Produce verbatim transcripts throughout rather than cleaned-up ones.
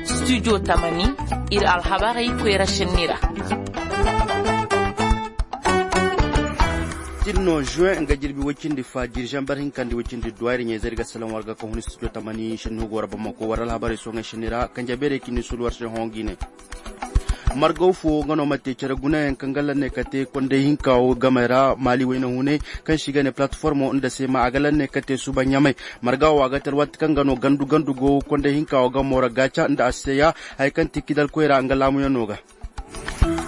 Studio tamani, ir alhabarey koyra šenni ra. Tirno juin nga jirbi woy cindi fa jiri zambar hinka nda woy cindi duwa ir ɲayzey ir ga salaŋ war ga ka hun studio tamani šenni hugo ra bamako war alhabarey soŋey šenni ra kanje beerey ka ni sulu war se hõ ga i ne. Margaw fo nga no ma te cere gunayaŋ kaŋ ga lanne ka te konday hinka wo gamey ra maali wayna hunay, kaŋ se i ga ne palatformo nda seema a ga lanne ka te suba ɲamay. Marga wo a ga te alwaati kaŋ ga no gandu gandu go konday hinka wo gamo ra gaaca nda aseya, haya kaŋ ti kidal koyra nga laamuyaŋo ga.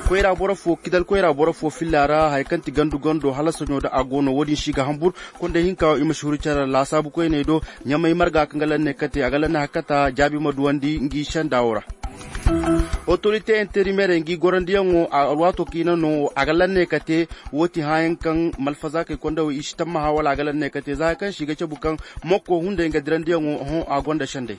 Koyra boro fo kidal koyra boro fo filla ra haya kaŋ ti gandu gando hala soɲo da a go no wo-din se i ga hanbur. Konday hinka wo i ma si huru care ra laasaabu koyney do. Ɲamay marga kaŋ ga lanne ka te a ga lanne hakata jaabi ma duwandi ngi senda wo ra. Otorite interimerey ngi gorandiyaŋo alwaato kaŋ i na no a ga lanne ka te. Woo ti hãayaŋ kaŋ malfazaakey konda wo i si tammaha wala a ga lanne ka te za haya kaŋ se i ga cabu kaŋ mokko hunday nga dirandiyaŋo hõ a gonda sendey.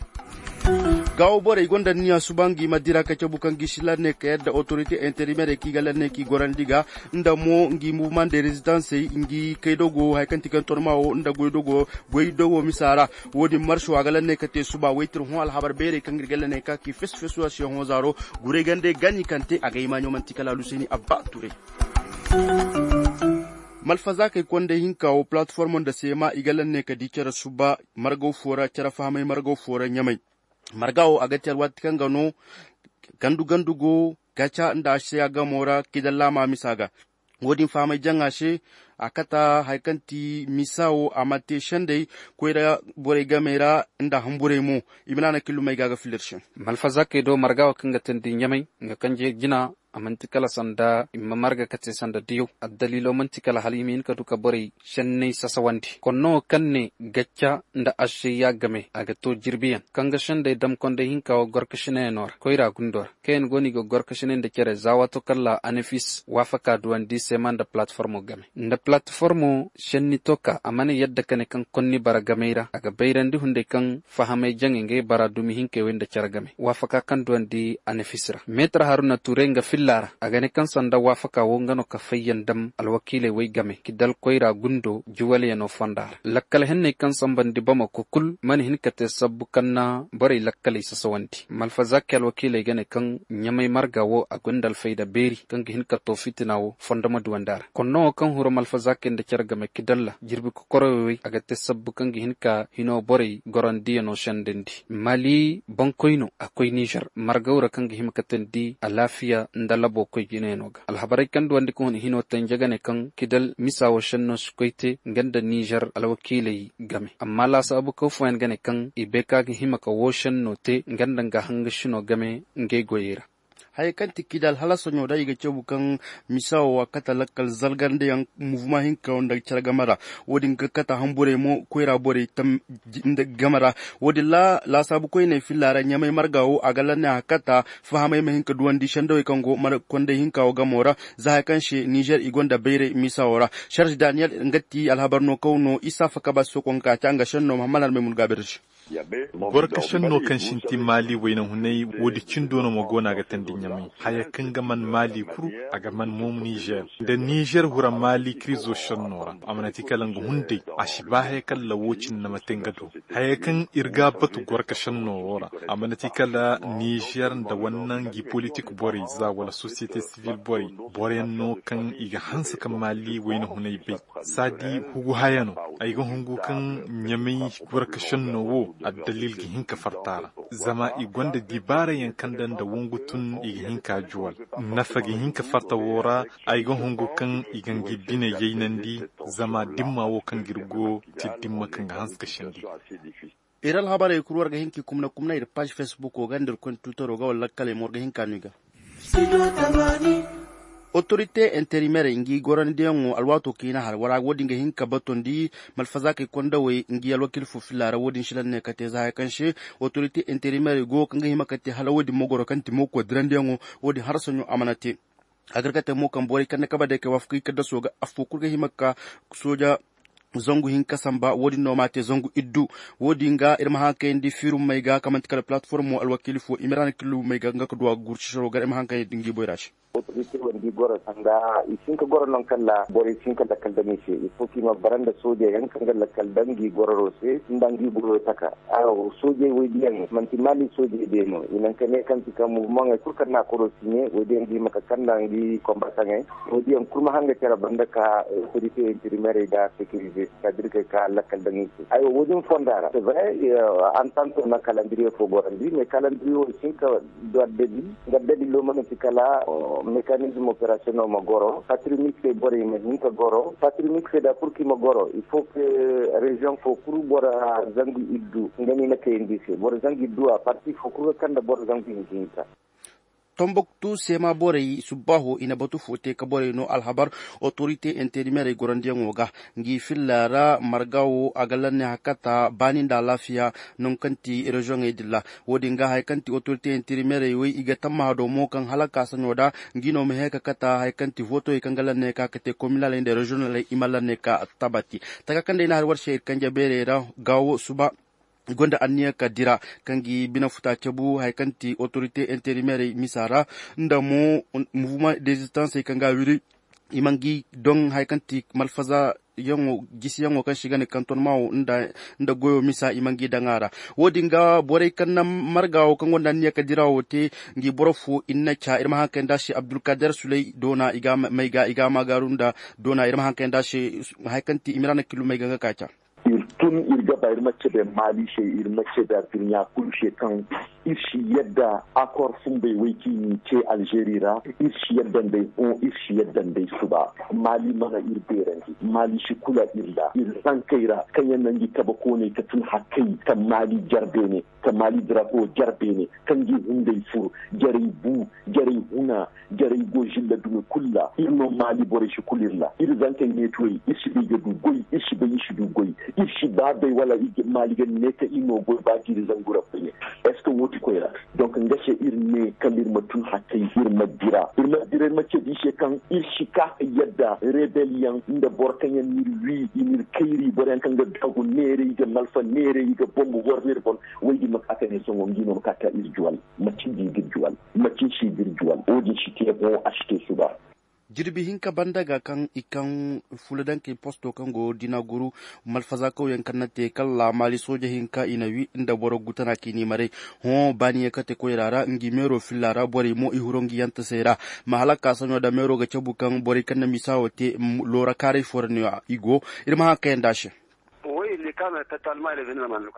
Gaawo borey gonda niya suba ngi ma dira ka cabu kaŋ gi si lanne ka yadda otorite interimerey kaŋ i ga lanne kaŋ i gorandi ga nda mo ngi muvman de rezitansey ngi kaydogo haya kaŋ ti kaŋ tonma wo nda goydogo misa ra. Wo-din marso a ga lanne ka te suba waytir hõ alhabar beerey kaŋ ir ga lanne ka ki fes fes war se hõ zaaro. Guray gande gani kaŋ te a ga hima ɲo man'ti kala aluseni abba turay. Malfazaakey konday hinka wo palatformo nda seema i ga lanne ka di cere suba margaw fo ra cere fahamay margaw fo ra ɲamay. Marga wo a ga te alwaati kaŋ ga no gandu gandu go gaca nda a se a gamo ra kidal laama misa ga. Wo-din fahamay jaŋa se a kata haya kaŋ ti misa wo a ma te sendey koyra borey gamey ra nda hamburey mo. I ma naana killumey ga a ga filir se. Malfazaakey do marga wo kaŋ ga teendi ɲamay nga kanje jina. A man'ti kala sanda i ma marga ka te sanda diyaw addaliilo man'ti kala hala i ma hin ka du ka borey senney sasawandi konno wo kaŋ ne gacca nda ašeyya game a ga to jirbiyaŋ kaŋ ga sendey dam konday hinka wo gorkašinayaŋo ra koyra gundo ra kaŋ yaŋ go no i ga gorkašinay nda cere za waato kala anafis waafaka duwandi seema nda palatformo game nda palatformo senni to ka a mana yadda ka ne kaŋ konni bara gamey ra a ga bayrandi hunday kaŋ fahamay jaŋey ngey bara dumi hinkey wey nda cere game waafaka kaŋ duwandi anafis ra meetar haruna tuurey nga filla ra a ga ne kaŋ sanda waafaka wo nga no ka fayyaŋ dam alwakiiley wey game kidal koyra gundo juwalyaŋo fonda ra lakkal henney kaŋ sambandi bamako kul mana hin ka te sabbu kaŋ na borey lakkaley sasawandi malfazaki alwakiiley ga ne kaŋ ɲamay marga wo a gonda alfayda beeri kaŋ ga hin ka to fitina wo fondoma duwandi a ra konno wo kaŋ huru malfazakey nda cere game kidalla jirbi kokoroy wey a ga te sabbu kaŋ ga hin ka hino borey gorondiyaŋo sendandi mali bankoyno a koy nizer margaw ra kaŋ ga hima ka teendi alaafiya nda labo koy jinayaŋo ga alhabarey kaŋ duwandi ka hun hino tenje ga ne kaŋ kidal misa wo senno si koy te nga nda nizer alwakiiley game amma laasaabu kaw fooyaŋ ga ne kaŋ i bay ka ga hima ka wo senno te nga nda nga hangasino game ngey goyey ra. Hayey kaŋ ti kidal hala soɲo da i ga cabu kaŋ misa wo a kate lakkal zalgandiyaŋ muvuma hinka nda care game ra. Wo-din ga kate hamburey mo koyra borey game ra. Wo-din ra laasaabu koyney filla ra ɲamay marga wo a ga lanne a kate fahamey ma hin ka duwandi sendawey kaŋ go konday hinka wo gamo ra. Za haya kaŋ se nizer i gonda bayray misa wo ra. Serge daniyel nga ti alhabar no kaw no isa fakabas sokon ka ca nga senno mahammad almay mun gaabir se. Gorka senno kaŋ sinti maali wayna hunay woodi cindo no ma go no a ga teendi ɲamay haya kaŋ ga man maali kuru a ga man mo nizer nda nizer hura maali kirizo senno ra a mana ti kala nga hunday a si ba haya kala wo cindi na ma te nga do haya kaŋ ir ga a batu gorka senno wo ra a mana ti kala nizer nda wanna ngi politik borey za wala sosiyete sivil borey boroyaŋ no kaŋ i ga hanse ka maali wayna hunay bay saadi hugu haya no ay ga hungu kaŋ ɲamay gorka senno wo addalil ga hin ka farta ra zama i gonda dibaarayaŋ kaŋ da nda wongu tun i ga hin ka juwal nafa ga hin ka farta wo ra ay ga hungu kaŋ i ga ngi bine yaynandi zama dimma wo kaŋ ga ir go ti dimma kaŋ ga hanse ka sindi. Ir alhabarey kul war ga hin ka i kumna kumna ir paaž fesbuko ga nda ir koy nda tuutaro ga wala lakkaley mo war ga hin ka no i ga. Otorite interimerey ngi gorandiyaŋo alwaato kaŋ i na har wara wo-din ga hin ka batondi malfazaakey kondawey ngi alwakiil fo filla ra wo-din silan ne ka te za haya kaŋ se otorite interimerey go kaŋ ga hima ka te hala wo-din mogoro kaŋ ti mooko dirandiyaŋo wo-din harasaɲo a mana te. A gar ka te mo kaŋ borey kaŋ na kaba day kay waafakey kaddaso ga affo kul ga hima ka sooja zangu hinka samba wo-din no ma te zangu iddu. Wo-din ga ir ma haŋ kayandi fiirummey ga kaŋ man'ti kala palatformo alwakiili fo i ma ir haŋ killumey ga nga ka duwa gurci saro gar ir ma haŋ kayandi ngi boyra se. Otorite wandi goro sanda i si hin ka goro non kalla borey si hin ka lakkal daŋ i se. Il faut ka i ma bara nda soojey yaŋ kaŋ ga lakkal daŋ ngi gororo se nda ngi goyo taka. Soojey woy diyaŋ manti maali soojey de no i naŋ ka ne kaŋ ti kaŋ muvumaŋey kulu kaŋ na a koro siɲe woy diyaŋ ga hima ka kanda ngi kombataŋey. Woy diyaŋ kulu ma haŋ ga care banda ka otorite interimerey nda sekirize sitaadir kay ka lakkal daŋ i se. Aywa woy din fonda ra se bare antanto na kalandiriye fo gorandi mais kalandiriye wo i si hin ka du addabi. Nga dalilo mana ti kala mekanizm operasyono ma goro patrimik se borey ma hin ka goro patrimik se da purki ma goro il faut ke reziyoŋ fo kulu boro zangu iddu nga ni na kayandi se boro zangu iddu a parti fo kulu ga kanda boro zangu hinka hinka. Tombuktu seema borey subbaaho i na batu fo te ka borey no alhabar otorite interimerey gorandiyaŋo ga ngi filla ra marga wo a ga lanne hakata baani nda alaafiya. Nangu kaŋ ti reziyoŋey din ra wo- din ga haya kaŋ ti otorite interimerey wey i ga tammaha do mo kaŋ hala ka saɲo da ngi no ma hee ka kata haya kaŋ ti fotoyey kaŋ ga lanne ka ka te kominaley nda reziyonaley i ma lanne ka tabati. Taka kaŋ day na har war se ir kanje beerey ra ga wo suba i gonda anniya ka dira kaŋ gi bine futa cabu haya kaŋ ti otorite interimerey misa ra nda mo muvuma dezistansey kaŋ ga wiri i ma ngi doŋ haya kaŋ ti malfaza yaŋo gisiyaŋo kaŋ si ga ne kantonma wo nda goyo misa i ma ngi daŋ a ra. Wo- din ga borey kaŋ na marga wo kaŋ gonda anniya ka dira wo te ngi boro fo i na ca ir ma haŋ kay nda se abdulkader suley doona i ga ma gaaru nda doona ir ma haŋ kay nda se haya kaŋ ti i ma ra na kilumey ga nga ka ca. Ir tun ir ga ba ir ma cebe maali se ir ma cebe adduɲɲa kulu se kaŋ ir si yadda akor fumbey wey kaŋ i n'i ce alžeri ra. Ir si yadda nd'ey hõ ir si yadda nd'ey suba. Maali mana ir beerandi maali si kula ir ra ir zankey ra kaŋ yaŋ na ngi kabe kooney ka tun hakkey ka maali jar beene ka maali drapo jar beene ka ngi hunday fur jarey bu jarey huna jarey go žilla dumi kul ra ir no maali borey si kul ir ra ir zankey neetuwey ir si bay ga du goy ir si bay ir si du goy. Ir si ba bay wala maali ga ne ka ir no goy ba ga ir zangu ra koyne. Est ce que woo ti koy ra? Donc nga se ir ne kala ir ma tun hakkey ir ma dira ir ma dira ir ma cedi se kaŋ ir si ka ka yadda rebel yaŋ nda boro kaŋ yaŋ n'ir wi i n'ir kayri boro yaŋ kaŋ ga daagu neere i ga malfa neere i ga bombu boro n'ir bon. Woy din ma ka ka ne sohõ ngi no ma ka ka ir juwal macin di ga ir juwal macin si ga ir juwal wo-din si te hõ a si te suba. Jirbi hinka banda ga kaŋ i kaŋ fulodankey posto kaŋ go dina guru malfaza kawyaŋ kaŋ na te kala maali sooja hinka i na wi nda boro gutana k'i ni maray. Hõ baaniya kate koyra ra ngi meero filla ra borey mo i huro ngi yantasey ra. Ma hala ka saɲo da meero ga cabu kaŋ borey kaŋ na misa wo te loora kaaray fo ra no i go. Ir ma haŋ kayandi a se.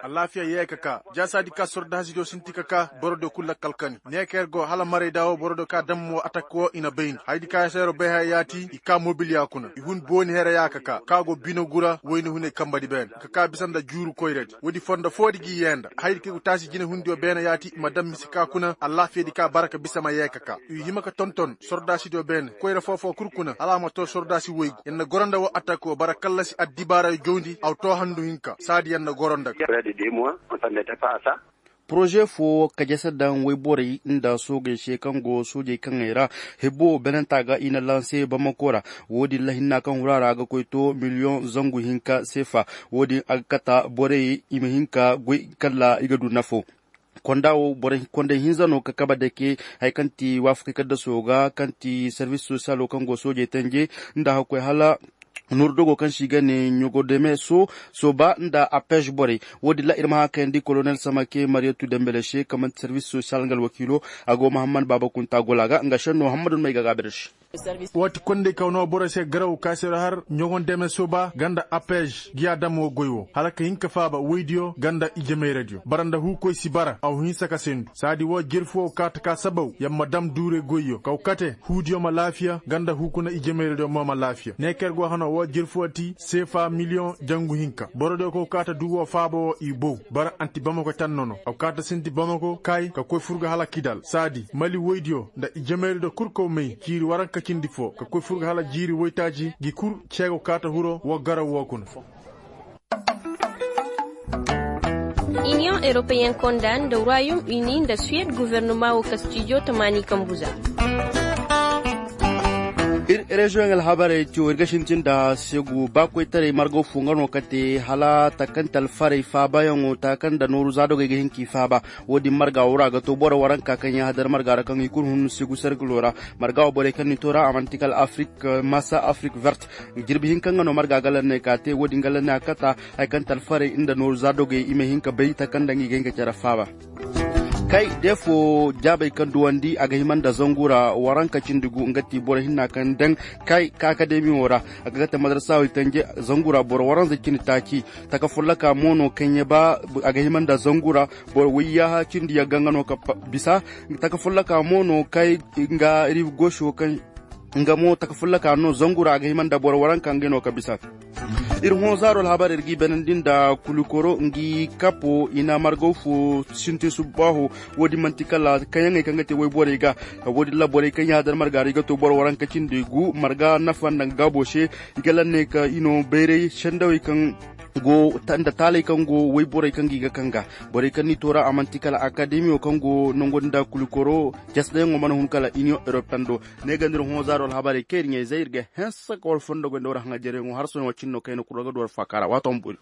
Alaafiya yee ka ka jaasaadi ka sordaasidiyo sinti ka ka borodiyo kul lakkal kani ne ka yer go hala maray da wo borodiyo ka dam mo atak wo i na bayndi hayadi ka seero bay haya yaati i ka mobiliya kuna i hun booni here ya ka ka ka go bine gura wayne hunay kambadi beene ka ka bisa nda juuru koyradi woodi fondo foodi gi yee nda hayadi ka i go taasi jinehundiyo beene yaati i ma dam mise ka kuna alaafiyadi ka bara ka bisa ma yee ka ka i hima ka tonton sordaasidiyo beene koyra foo-foo kul kuna hala a ma too sordaasi woygu yer na goro nda woo atak woo bara kallasi addibaarayo jawndi aw too handu hinka saadi yer na goro nda ga. Poroze foo ka jese daŋ woyborey nda soogey se kaŋ go soojey kaŋey ra hebbo benenta ga i na lanse bamako ra. Woodin ra hinna kaŋ huru a ra a ga koy to miliyoŋ zangu hinka seefa. Woodin a ga kata borey i ma hin ka goy kala i ga du nafo. Konda wo borey kondey hinza no ka kabe dake haya kaŋ ti waafakey kaddasoo ga kaŋ ti servis sosiyalo kaŋ go soojey tanje nda hakkoy hala nuuru dogo kaŋ se i ga ne ɲogodeme soo sooba nda apez borey. Wo-din ra ir ma haŋ kayandi kolonel samake mariyatu dembele se kaŋ man'ti servis sosiyal nga alwakiilo. A go mahammad baaba kunta gola ga nga senno hammad no may ga gaabir se. Waati kondey kaw no borey se garaw ka se ra har ɲogon deme sooba ganda apez giya dam wo goy wo hala ka hin ka faaba woydiyo ganda ijemayradiyo bara nda huukoy si bara aw hinsa ka sendu saadi woo jirfu wo kaata ka sabaw yer ma dam duure goyyo kaw kate huudiyo ma laafiya ganda huukuna ijemayradiyo mo ma laafiya ne ka yer go hano woo jirfu wo ti seefa miliyoŋ jangu hinka borodiyo kaw kaata duu woo faaba woo i bow bara anti bamako tanno no aw kaata sinti bamako kaay ka koy fur ga hala kidal saadi mali woydiyo nda ijemayradiyo kul kaw may ciiri waranka cindi foo ka koy fur ga hala jiiri woytaaji gi kul ceego kaata huro woo garaw woo kuna. Iniyoŋ eropeyen konda nda ruwayum ini nda suwed guvernuma woo kastijo tamaani kambuza. Ir reziyoŋ alhabarey tiyo ir ga sintin nda segu ba koytaray margaw fo nga no kate hala takante alfarey faabayaŋo taka nda nooru zaadogey ga hin k'i faaba. Wo-din marga woo ra a ga to boro waranka kaŋ yaŋ hadar marga ra kaŋ i kulu hun segu serkilo ra. Marga wo borey kaŋ n'i to ra a man'ti kala afrik masa afrik vert. Jirbi hinka nga no marga ga lanney ka te wo-din ga lanney a kata. Haya kaŋ te alfarey nda nooru zaadogey i ma hin ka bay taka nda nga i ga hin ka care faaba. Kay, defo jaabey kaŋ duwandi a ga hima nda zangu ra waranka cindi gu nga ti boro hinna kaŋ daŋ. Kay, ka akademi wo ra a ga ga te madarasa wo i tanje zangu ra boro waranza cindi taaci. Taka folloka mo no kaŋ ya ba a ga hima nda zangu ra. Boro wayyaaha cindi yagga nga no ka bisa. Taka folloka mo no kay nga ribi goso kaŋ nga mo taka fulla ka no zangu ra a ga hima nda boro waranka ngey no ka bisa. Ir hõ zaaro alhabar ir g'i banandi nda kulikoro ngi kapo i na margaw fo sintin subbaaho. Wo-din man'ti kala kaŋyaŋey kaŋ ga te woyborey ga. Wo-din ra borey kaŋ yaadar marga ra i ga to boro waranka cindi gu marga nafa nda nga gaabo se. I ga lanney ka i no bayray sendawey kaŋ go nda taaley kaŋ go woyborey kaŋ ga i ga kaŋ ga. Borey kaŋ n'i to ra a man'ti kala akademiyo kaŋ go nangu nda kulikoro. Jasnayaŋo mana hun kala iniyoŋ eropento. Ne ga nda ir hõ zaaro alhabarey kaŋ ir ɲaa-izey ir ga hanse ka war fondo goy nda war haŋajereyaŋo har sohõ wo cindi no kaŋ i na kulu ra ga du war faaka ra waato ma boori.